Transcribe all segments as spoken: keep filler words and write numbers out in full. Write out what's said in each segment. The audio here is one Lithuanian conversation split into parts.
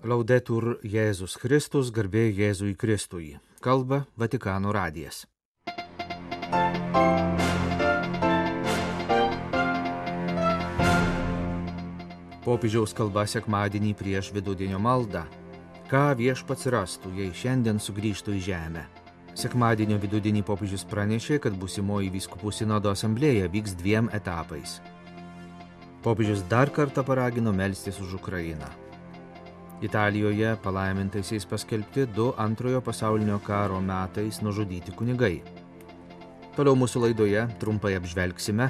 Laudetur Jėzus Kristus, garbė Jėzui Kristui. Kalba Vatikano radijas. Popiežiaus kalba sekmadienį prieš vidudienio maldą. Ką viešpats rastų, jei šiandien sugrįžtų į žemę? Sekmadienio vidudienį popiežius pranešė, kad būsimoji vyskupų sinodo asamblėja vyks dviem etapais. Popiežius dar kartą paragino melstis už Ukrainą. Italijoje palaimintaisiais paskelbti du antrojo pasaulinio karo metais nužudyti kunigai. Toliau mūsų laidoje trumpai apžvelgsime,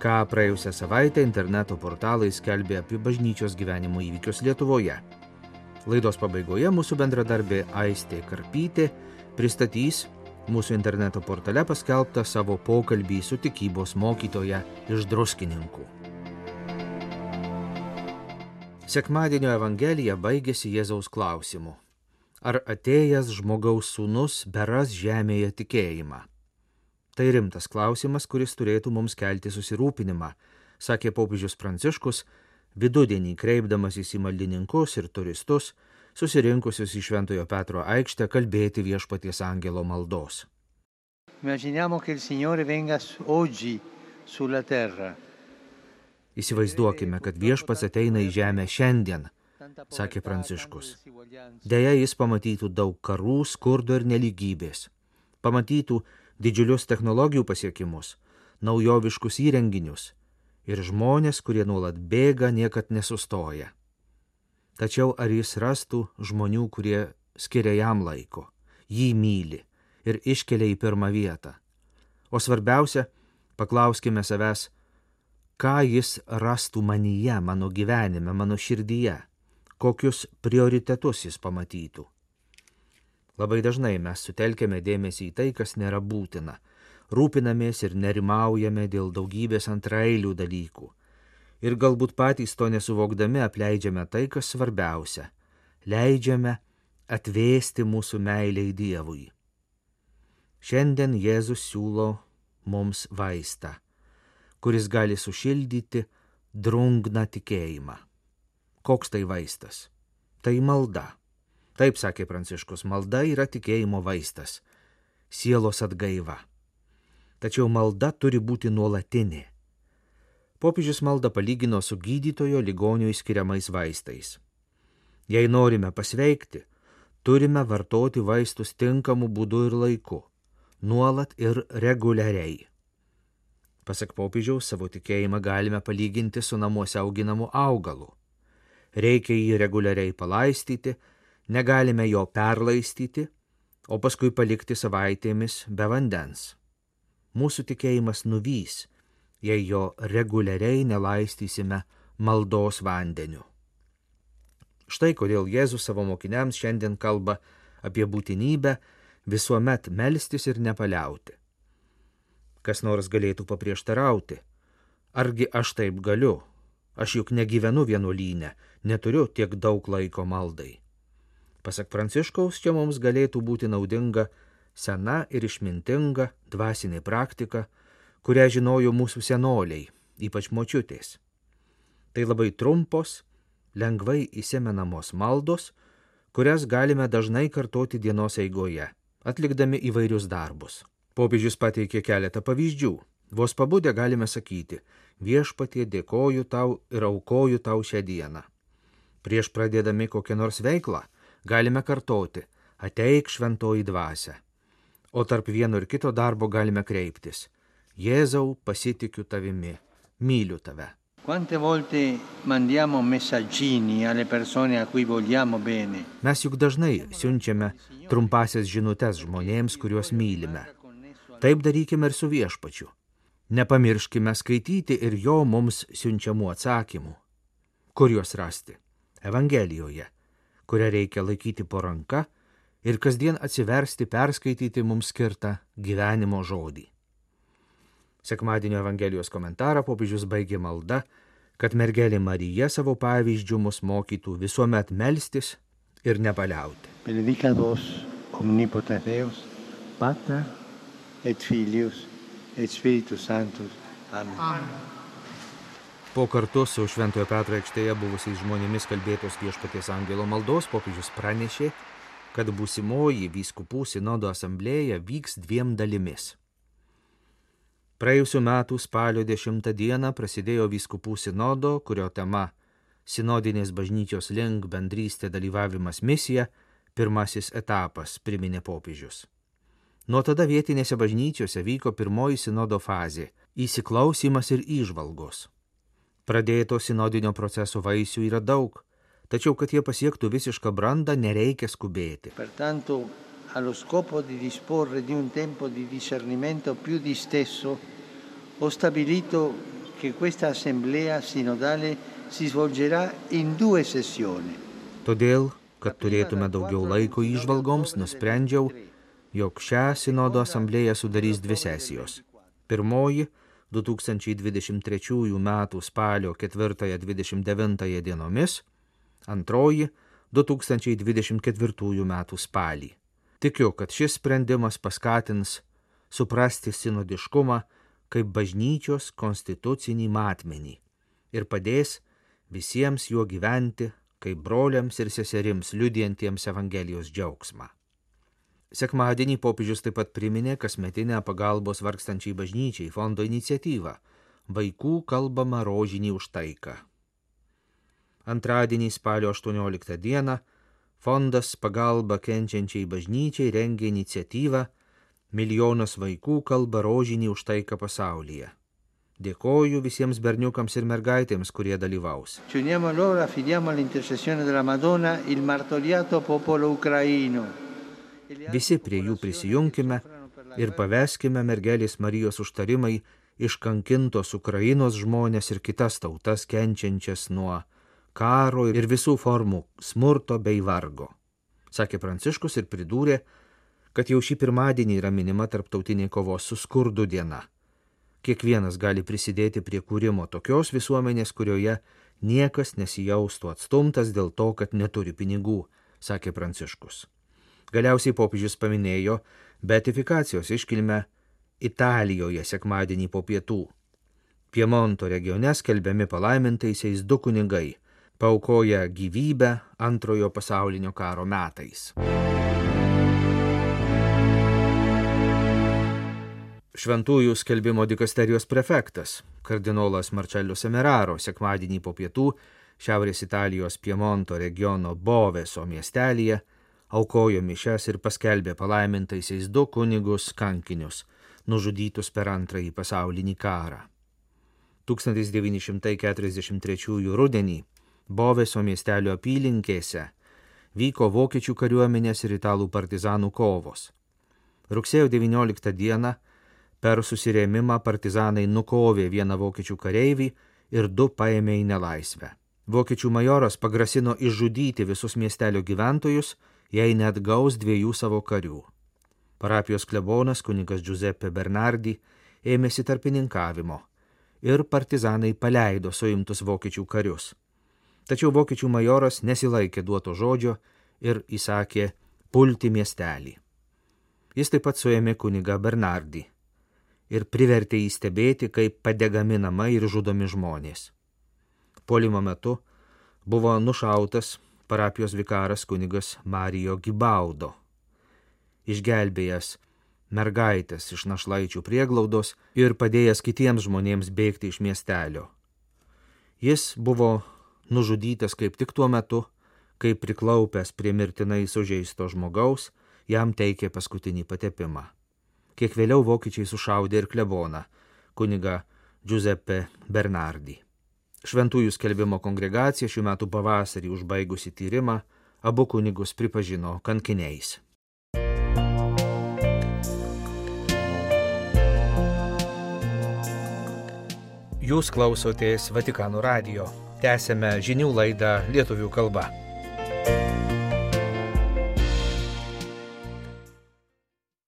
ką praėjusią savaitę interneto portalai skelbė apie bažnyčios gyvenimo įvykius Lietuvoje. Laidos pabaigoje mūsų bendradarbė Aistė Karpytė pristatys mūsų interneto portale paskelbtą savo pokalbį su tikybos mokytoja iš Druskininkų. Sekmadienio evangelija baigėsi Jėzaus klausimu. Ar atėjęs žmogaus sūnus beras žemėje tikėjimą? Tai rimtas klausimas, kuris turėtų mums kelti susirūpinimą, sakė popiežius Pranciškus, vidudienį kreipdamasis į maldininkus ir turistus, susirinkusius į Šventojo Petro aikštę kalbėti viešpaties angelo maldos. Immaginiamo che il Signore venga oggi sulla terra. Įsivaizduokime, kad viešpats ateina į žemę šiandien, sakė Pranciškus. Deja, jis pamatytų daug karų, skurdo ir nelygybės. Pamatytų didžiulius technologijų pasiekimus, naujoviškus įrenginius ir žmonės, kurie nuolat bėga, niekad nesustoja. Tačiau ar jis rastų žmonių, kurie skiria jam laiko, jį myli ir iškelia į pirmą vietą? O svarbiausia, paklauskime savęs, ką jis rastų manyje, mano gyvenime, mano širdyje, kokius prioritetus jis pamatytų. Labai dažnai mes sutelkėme dėmesį į tai, kas nėra būtina, rūpinamės ir nerimaujame dėl daugybės antraeilių dalykų ir galbūt patys to nesuvokdami apleidžiame tai, kas svarbiausia, leidžiame atvėsti mūsų meilei Dievui. Šiandien Jėzus siūlo mums vaistą, kuris gali sušildyti drungną tikėjimą. Koks tai vaistas? Tai malda. Taip sakė Pranciškus, malda yra tikėjimo vaistas, sielos atgaiva. Tačiau malda turi būti nuolatinė. Popiežius maldą palygino su gydytojo ligonio skiriamais vaistais. Jei norime pasveikti, turime vartoti vaistus tinkamu būdu ir laiku, nuolat ir reguliariai. Pasak popiežiaus, savo tikėjimą galime palyginti su namuose auginamu augalu. Reikia jį reguliariai palaistyti, negalime jo perlaistyti, o paskui palikti savaitėmis be vandens. Mūsų tikėjimas nuvys, jei jo reguliariai nelaistysime maldos vandeniu. Štai kodėl Jėzus savo mokiniams šiandien kalba apie būtinybę visuomet melstis ir nepaliauti. Kas nors galėtų paprieštarauti. Argi aš taip galiu? Aš juk negyvenu vienuolyne, neturiu tiek daug laiko maldai. Pasak Pranciškaus, čia mums galėtų būti naudinga sena ir išmintinga dvasinė praktika, kurią žinojo mūsų senoliai, ypač močiutės. Tai labai trumpos, lengvai įsimenamos maldos, kurias galime dažnai kartoti dienos eigoje, atlikdami įvairius darbus. Popiežius pateikė keletą pavyzdžių. Vos pabudę galime sakyti, viešpatie, dėkoju tau ir aukoju tau šią dieną. Prieš pradėdami kokią nors veiklą galime kartoti, ateik šventoji dvasia. O tarp vieno ir kito darbo galime kreiptis, Jėzau, pasitikiu tavimi, myliu tave. Quante volte mandiamo messaggini alle persone a cui vogliamo bene. Mes juk dažnai siunčiame trumpasias žinutes žmonėms, kuriuos mylime. Taip darykime ir su viešpačiu. Nepamirškime skaityti ir jo mums siunčiamų atsakymų. Kur juos rasti? Evangelijoje, kurią reikia laikyti po ranka ir kasdien atsiversti perskaityti mums skirtą gyvenimo žodį. Sekmadienio Evangelijos komentarą popiežius baigė malda, kad mergelė Marija savo pavyzdžių mus mokytų visuomet melstis ir nepaliauti. Benedicat vos omnipotens Deus, Pater et Filius et Spiritus Sanctus. Amen. Amen. Po kartu su Šventojo Petro aikštėje buvusiais žmonėmis kalbėtos Viešpaties angelo maldos popiežius pranešė, kad būsimoji vyskupų sinodo asamblėja vyks dviem dalimis. Praėjusiu metu spalio dešimtą dieną prasidėjo vyskupų sinodo, kurio tema Sinodinės bažnyčios link bendrystė dalyvavimas misija, pirmasis etapas, priminė popiežius. Nuo tada vietinėse bažnyčiose vyko pirmoji sinodo fazė – įsiklausymas ir įžvalgos. Pradėto sinodinio proceso vaisių yra daug, tačiau kad jie pasiektų visišką brandą, nereikia skubėti. Pertanto, allo scopo di disporre di un tempo di discernimento più disteso, ho stabilito che questa assemblea sinodale si svolgerà in due sessioni. Todėl, kad turėtume daugiau laiko įžvalgoms, nusprendžiau, jog šią sinodo asamblėją sudarys dvi sesijos. Pirmoji – du tūkstančiai dvidešimt trečiųjų metų spalio ketvirtąją dvidešimt devintąją dienomis, antroji – du tūkstančiai dvidešimt ketvirtųjų metų spalį. Tikiu, kad šis sprendimas paskatins suprasti sinodiškumą kaip bažnyčios konstitucinį matmenį ir padės visiems juo gyventi kaip broliams ir seserims liudijantiems Evangelijos džiaugsmą. Sekmadienį popiežius taip pat priminė kasmetinę pagalbos vargstančiai bažnyčiai fondo iniciatyvą Vaikų kalbama rožinį už taiką. Antradienį spalio aštuonioliktą dieną fondas pagalba kenčiančiai bažnyčiai rengia iniciatyvą Milijonas vaikų kalba rožinį už taiką pasaulyje. Dėkoju visiems berniukams ir mergaitėms, kurie dalyvaus. Ci uniamo allora, affidiamo all'intercessione della Madonna il martoriato popolo ucraino. Visi prie jų prisijunkime ir paveskime mergelės Marijos užtarimai iškankintos Ukrainos žmonės ir kitas tautas kenčiančias nuo karo ir visų formų smurto bei vargo, sakė Pranciškus ir pridūrė, kad jau šį pirmadienį yra minima tarptautinė kovos su skurdu diena. Kiekvienas gali prisidėti prie kūrimo tokios visuomenės, kurioje niekas nesijaustų atstumtas dėl to, kad neturi pinigų, sakė Pranciškus. Galiausiai popiežius paminėjo beatifikacijos iškilmę Italijoje sekmadienį po pietų. Piemonto regione skelbiami palaimintaisiais du kunigai, paaukoję gyvybę antrojo pasaulinio karo metais. Šventųjų skelbimo dikasterijos prefektas, kardinolas Marcello Semeraro, sekmadienį po pietų Šiaurės Italijos Piemonto regiono Boveso miestelyje aukojo mišias ir paskelbė palaimintaisiais du kunigus kankinius, nužudytus per antrąjį pasaulinį karą. tūkstantis devyni šimtai keturiasdešimt trečiųjų rudenį Boveso miestelio apylinkėse vyko vokiečių kariuomenės ir italų partizanų kovos. Rugsėjo devynioliktą dieną per susirėmimą partizanai nukovė vieną vokiečių kareivį ir du paėmė į nelaisvę. Vokiečių majoras pagrasino išžudyti visus miestelio gyventojus, jei net gaus dviejų savo karių. Parapijos klebonas kunigas Giuseppe Bernardi ėmėsi tarpininkavimo ir partizanai paleido suimtus vokiečių karius. Tačiau vokiečių majoras nesilaikė duoto žodžio ir įsakė pulti miestelį. Jis taip pat suėmė kunigą Bernardi ir privertė jį stebėti, kaip padegami namai ir žudomi žmonės. Puolimo metu buvo nušautas parapijos vikaras kunigas Marijo Gibaudo, išgelbėjęs mergaitės iš našlaičių prieglaudos ir padėjęs kitiems žmonėms bėgti iš miestelio. Jis buvo nužudytas kaip tik tuo metu, kai priklaupęs prie mirtinai sužeisto žmogaus, jam teikė paskutinį patepimą. Kiek vėliau vokiečiai sušaudė ir kleboną, kunigą Giuseppe Bernardi. Šventųjų skelbimo kongregacija šių metų pavasarį užbaigusi tyrimą, abu kunigus pripažino kankiniais. Jūs klausotės Vatikano radijo. Tęsėme žinių laidą lietuvių kalba.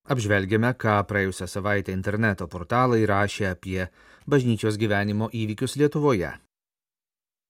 Apžvelgėme, ką praėjusią savaitę interneto portalai rašė apie bažnyčios gyvenimo įvykius Lietuvoje.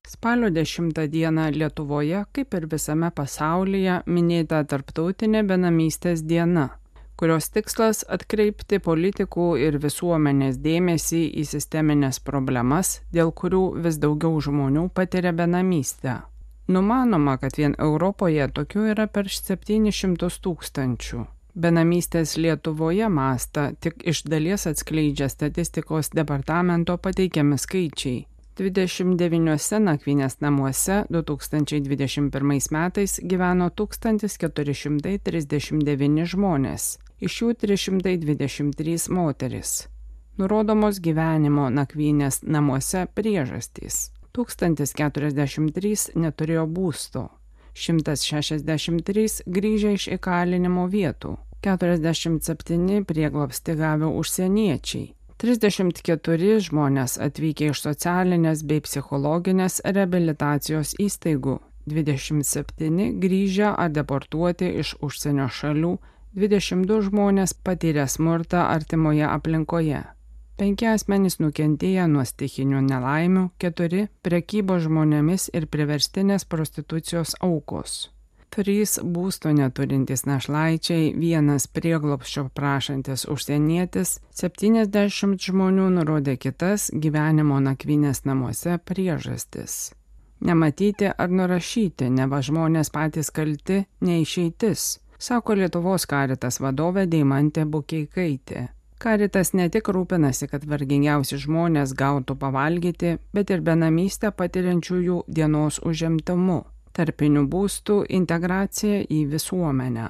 Spalio dešimtą dieną Lietuvoje, kaip ir visame pasaulyje, minėta tarptautinė benamystės diena, kurios tikslas atkreipti politikų ir visuomenės dėmesį į sisteminės problemas, dėl kurių vis daugiau žmonių patiria benamystę. Numanoma, kad vien Europoje tokių yra per septynis šimtus tūkstančių. Benamystės Lietuvoje mastą tik iš dalies atskleidžia statistikos departamento pateikiami skaičiai. dvidešimt devyniuose nakvynės namuose du tūkstančiai dvidešimt pirmais metais gyveno tūkstantis keturi šimtai trisdešimt devyni žmonės, iš jų trys šimtai dvidešimt trys moterys. Nurodomos gyvenimo nakvynės namuose priežastys. tūkstantis keturiasdešimt trys neturėjo būsto, šimtas šešiasdešimt trys grįžę iš įkalinimo vietų, keturiasdešimt septyni prieglobstį gavę užsieniečiai, trisdešimt keturi žmonės atvykę iš socialinės bei psichologinės reabilitacijos įstaigų, dvidešimt septyni grįžę ar deportuoti iš užsienio šalių, dvidešimt du žmonės patyrė smurtą artimoje aplinkoje. Penki asmenys nukentėję nuo stichinių nelaimių, keturi prekybos žmonėmis ir priverstinės prostitucijos aukos. Trys būsto neturintys našlaičiai, vienas prieglobsčio prašantis užsienietis, septyniasdešimt žmonių nurodė kitas gyvenimo nakvynės namuose priežastis. Nematyti ar nurašyti, neva žmonės patys kalti, neišeitis, sako Lietuvos Caritas vadovė Deimantė Bukeikaitė. Caritas ne tik rūpinasi, kad vargingiausi žmonės gautų pavalgyti, bet ir benamystę patiriančiųjų dienos užimtumu, tarpinių būstų integracija į visuomenę.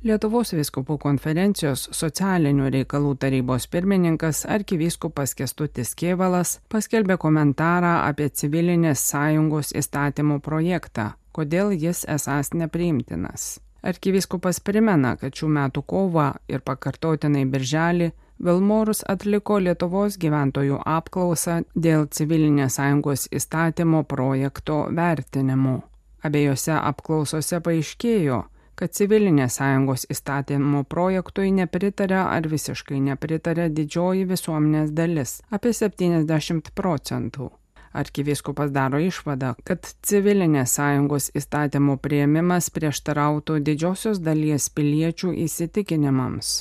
Lietuvos vyskupų konferencijos socialinių reikalų tarybos pirmininkas arkivyskupas Kęstutis Kėvalas paskelbė komentarą apie civilinės sąjungos įstatymų projektą, kodėl jis esąs nepriimtinas. Arkivyskupas primena, kad šių metų kovą ir pakartotinai birželį Vilmorus atliko Lietuvos gyventojų apklausą dėl civilinės sąjungos įstatymo projekto vertinimų. Abiejose apklausose paaiškėjo, kad civilinės sąjungos įstatymo projektui nepritarė ar visiškai nepritarė didžioji visuomenės dalis, apie septyniasdešimt procentų. Arkivyskupas daro išvadą, kad civilinės sąjungos įstatymų priėmimas prieštarautų didžiosios dalies piliečių įsitikinimams.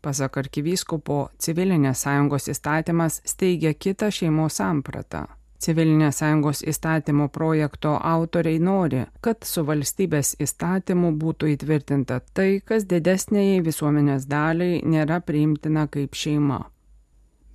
Pasak arkivyskupo, civilinės sąjungos įstatymas steigia kitą šeimos sampratą. Civilinės sąjungos įstatymo projekto autoriai nori, kad su valstybės įstatymu būtų įtvirtinta tai, kas didesniai visuomenės daliai nėra priimtina kaip šeima.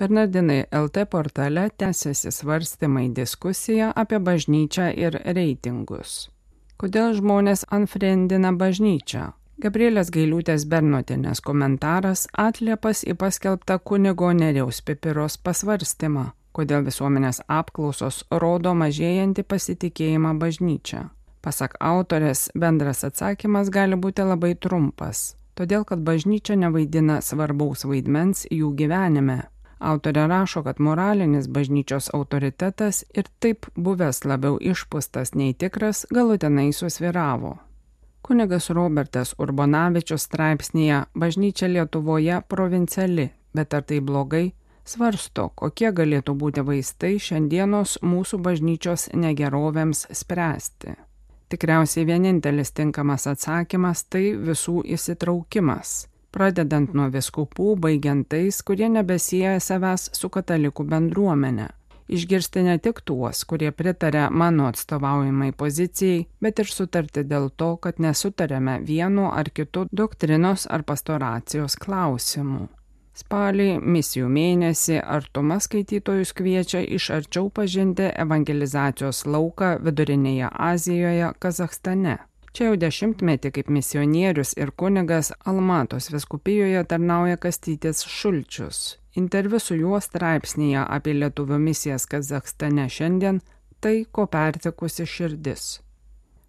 Bernardinai L T portale tęsiasi svarstymai diskusija apie bažnyčią ir reitingus. Kodėl žmonės unfriendina bažnyčią? Gabrielės Gailiūtės Bernotienės komentaras atliepas į paskelbtą kunigo Nerijaus Pipiros pasvarstymą, kodėl visuomenės apklausos rodo mažėjantį pasitikėjimą bažnyčią. Pasak autorės, bendras atsakymas gali būti labai trumpas, todėl kad bažnyčia nevaidina svarbaus vaidmens jų gyvenime. Autorė rašo, kad moralinis bažnyčios autoritetas ir taip buvęs labiau išpūstas nei tikras galutinai susvyravo. Kunigas Robertas Urbonavičius straipsnėje Bažnyčia Lietuvoje provinciali, bet ar tai blogai, svarsto, kokie galėtų būti vaistai šiandienos mūsų bažnyčios negerovėms spręsti. Tikriausiai vienintelis tinkamas atsakymas tai visų įsitraukimas. Pradedant nuo vyskupų, baigiant tais, kurie nebesieja savęs su katalikų bendruomenė. Išgirsti ne tik tuos, kurie pritarė mano atstovaujamai pozicijai, bet ir sutarti dėl to, kad nesutarėme vienu ar kitu doktrinos ar pastoracijos klausimu. Spalį, misijų mėnesį, Artuma skaitytojus kviečia iš arčiau pažinti evangelizacijos lauką Vidurinėje Azijoje, Kazachstane. Čia jau dešimtmetį kaip misionierius ir kunigas Almatos vyskupijoje tarnauja Kastytis Šulčius. Interviu su juo straipsnėje apie lietuvių misijas Kazachstane šiandien tai, ko pertikusi širdis.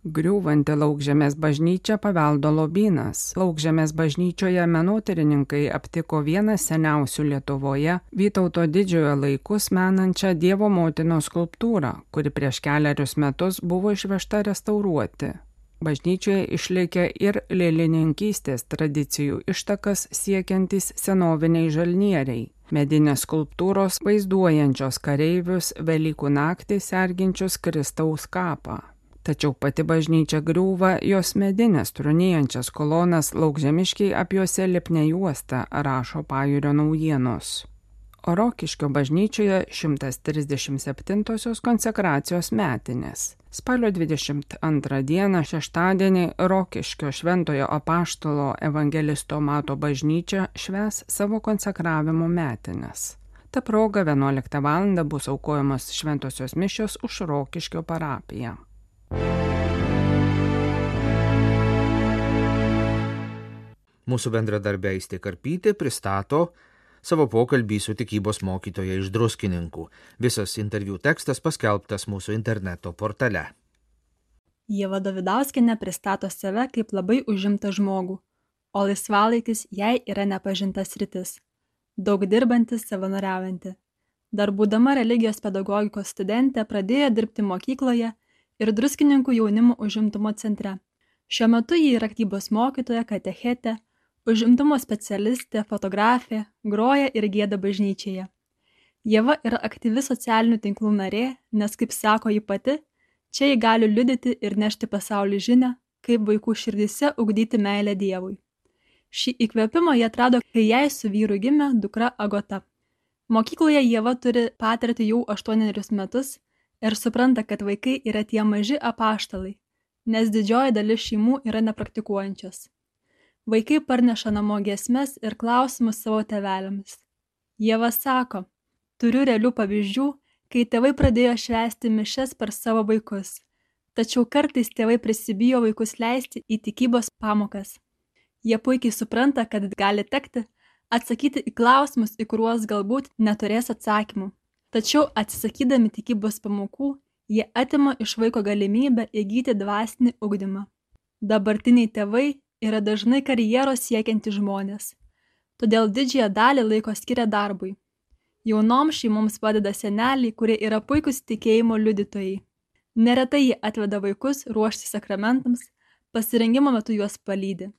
Griūvanti Laukžemės bažnyčia paveldo lobynas. Laukžemės bažnyčioje menotyrininkai aptiko vieną seniausių Lietuvoje Vytauto didžiojo laikus menančią Dievo motinos skulptūrą, kuri prieš keliarius metus buvo išvežta restauruoti. Bažnyčioje išlikę ir lėlininkystės tradicijų ištakas siekiantys senoviniai žalnieriai, medinės skulptūros vaizduojančios kareivius Velykų naktį serginčius Kristaus kapą. Tačiau pati bažnyčia griūva, jos medinės trunėjančias kolonas Laukžemiškiai apjuose lipnia juosta, rašo Pajūrio naujienos. O Rokiškio bažnyčioje šimtas trisdešimt septintosios konsekracijos metinės. Spalio dvidešimt antrą dieną šeštadienį Rokiškio šventojo apaštalo evangelisto Mato bažnyčia švęs savo konsekravimo metinės. Ta proga vienuoliktą valandą bus aukojamos šventosios mišios už Rokiškio parapiją. Mūsų bendradarbė Aistė Karpytė pristato savo pokalbį su tikybos mokytoja iš Druskininkų. Visas interviu tekstas paskelbtas mūsų interneto portale. Ieva Dovidauskienė pristato save kaip labai užimtą žmogų, o laisvalaikis jai yra nepažinta sritis. Daug dirbantis, savanoriaujanti. Dar būdama religijos pedagogikos studentė pradėjo dirbti mokykloje ir Druskininkų jaunimo užimtumo centre. Šiuo metu ji yra tikybos mokytoja, katechetė, užimtumo specialistė, fotografė, groja ir gieda bažnyčioje. Ieva yra aktyvi socialinių tinklų narė, nes, kaip sako ji pati, čia ji gali liudyti ir nešti pasaulį žinią, kaip vaikų širdyse ugdyti meilę Dievui. Šį įkvėpimą jie atrado, kai jai su vyru gimė dukra Agota. Mokykloje Ieva turi patirtį jau aštuonerius metus ir supranta, kad vaikai yra tie maži apaštalai, nes didžioji dalis šeimų yra nepraktikuojančios. Vaikai parneša namo giesmes ir klausimus savo tėveliams. Ieva sako, turiu realių pavyzdžių, kai tėvai pradėjo švęsti mišias per savo vaikus, tačiau kartais tėvai prisibijo vaikus leisti į tikybos pamokas. Jie puikiai supranta, kad gali tekti atsakyti į klausimus, į kuriuos galbūt neturės atsakymų. Tačiau atsisakydami tikybos pamokų, jie atima iš vaiko galimybę įgyti dvasinį ugdymą. Dabartiniai tėvai yra dažnai karjeros siekiantys žmonės, todėl didžiąją dalį laiko skiria darbui. Jaunoms šeimoms padeda seneliai, kurie yra puikūs tikėjimo liudytojai. Neretai jie atveda vaikus ruošti sakramentams, pasirengimo metu juos palydi.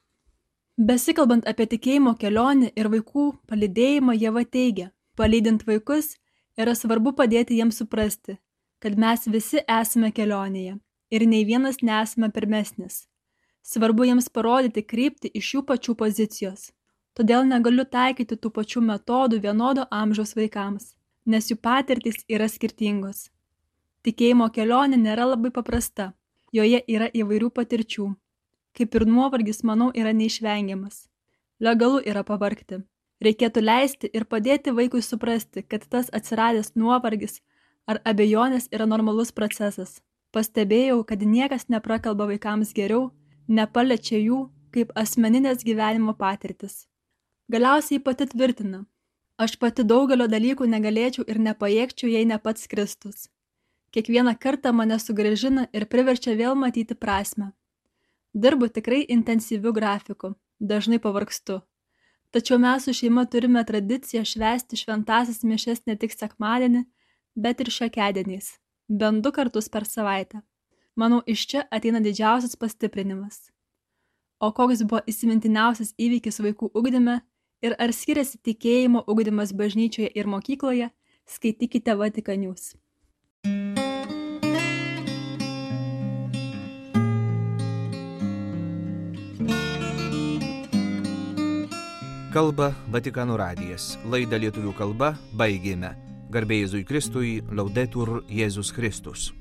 Besikalbant apie tikėjimo kelionę ir vaikų palydėjimą, Ieva teigia, palydint vaikus yra svarbu padėti jiems suprasti, kad mes visi esame kelionėje ir nei vienas nesame pirmesnis. Svarbu jiems parodyti kryptį iš jų pačių pozicijos. Todėl negaliu taikyti tų pačių metodų vienodo amžiaus vaikams, nes jų patirtys yra skirtingos. Tikėjimo kelionė nėra labai paprasta, joje yra įvairių patirčių. Kaip ir nuovargis, manau, yra neišvengiamas. Legalu yra pavargti. Reikėtų leisti ir padėti vaikui suprasti, kad tas atsiradęs nuovargis ar abejonės yra normalus procesas. Pastebėjau, kad niekas neprakalba vaikams geriau, nepaliečia jų kaip asmeninės gyvenimo patirtis. Galiausiai pati tvirtina, aš pati daugelio dalykų negalėčiau ir nepajėgčiau, jei ne pats Kristus. Kiekvieną kartą mane sugrąžina ir priverčia vėl matyti prasmę. Dirbu tikrai intensyviu grafiku, dažnai pavargstu. Tačiau mes su šeima turime tradiciją švęsti šventąsias mišias ne tik sekmadienį, bet ir šiokiadieniais, bent du kartus per savaitę. Manau, iš čia ateina didžiausias pastiprinimas. O koks buvo įsimintiniausias įvykis vaikų ugdyme ir ar skiriasi tikėjimo ugdymas bažnyčioje ir mokykloje, skaitykite Vatikan News. Kalba Vatikano radijas. Laidą lietuvių kalba baigėme. Garbė Jėzui Kristui, Laudetur Jėzus Kristus.